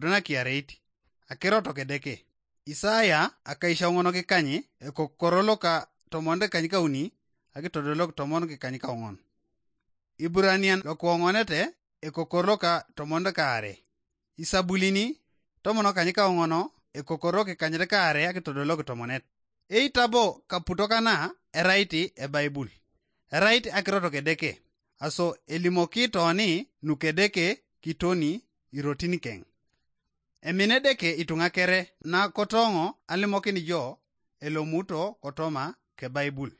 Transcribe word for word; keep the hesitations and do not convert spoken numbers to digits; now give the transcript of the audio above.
nakiareit. Akiro toko Edeke. Isaya akaishaoŋon kikany, ekokoro loka tomon kikany kauni, akitodolok tomon kikany kaoŋon. Iburanian lokuoŋonete, ekokoro loka tomon kaare. Isabulini tomon kany kaoŋon, ekokoro kikanyet kaare akitodolok tomonet. Eitabo kaputok kana erait ebaibul. Erait akiro toko Edeke. Aso elimoki toni nukedeke kitoni irotin keŋ. Emine Edeke ituŋa kere nakotoŋo alimokin jo elomuto kotoma kebaibul.